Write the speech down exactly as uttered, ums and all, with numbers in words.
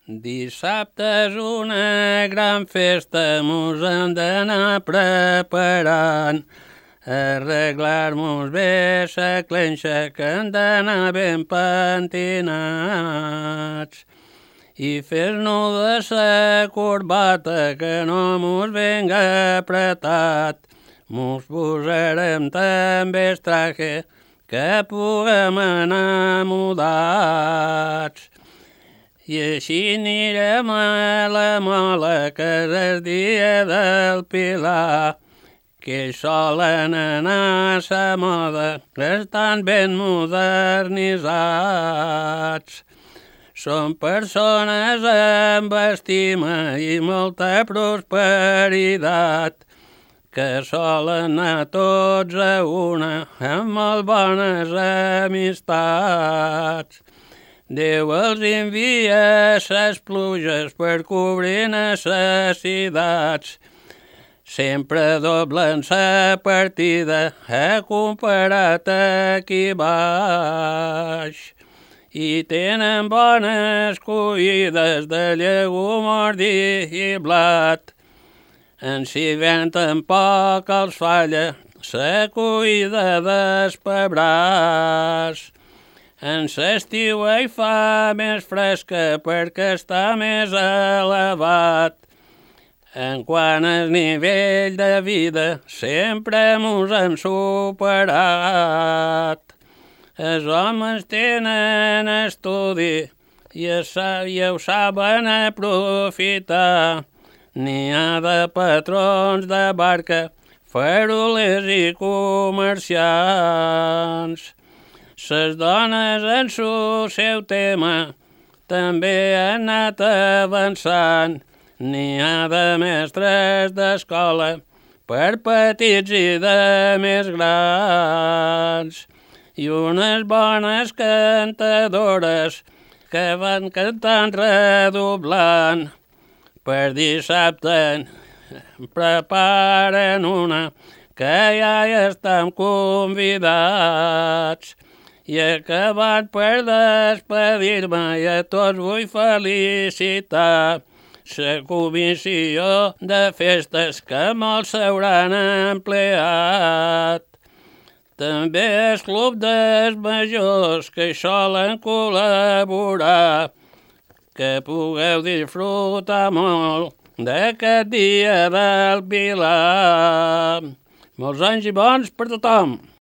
Dissabte és una gran festa, mos hem d'anar preparant, arreglar-mos bé sa clenxa, que hem d'anar ben pentinats, i fer-nos de sa corbata, que no mos venga apretat. Mos posarem també el traje, que puguem anar mudats. I així anirem a la mola, que és el dia del Pilar, que solen anar a sa moda, que estan ben modernitzats. Són persones amb estima i molta prosperitat, que solen anar tots a una amb molt bones amistats. Déu els envia ses pluges per cobrir necessitats. Sempre doblen sa partida, he comparat aquí baix. I tenen bones collides de llegum, ordi i blat. En si venten poc els falla sa collida dels pebrats. En l'estiu hi fa més fresca perquè està més elevat. En quant al nivell de vida sempre mos hem superat. Els homes tenen estudi i, sa, i ho saben aprofitar. N'hi ha de patrons de barca, farolers i comerciants. Ses dones en su seu tema també han anat avançant. N'hi ha de mestres d'escola per petits i de més grans. I unes bones cantadores que van cantant redoblant. Per dissabte preparen una que ja hi estem convidats. I acabat per despedir-me i a tots vull felicitar la comissió de festes que molts s'hauran empleat. També el club dels majors que hi solen col·laborar, que pugueu disfrutar molt d'aquest dia del Pilar. Molts anys i bons per tothom!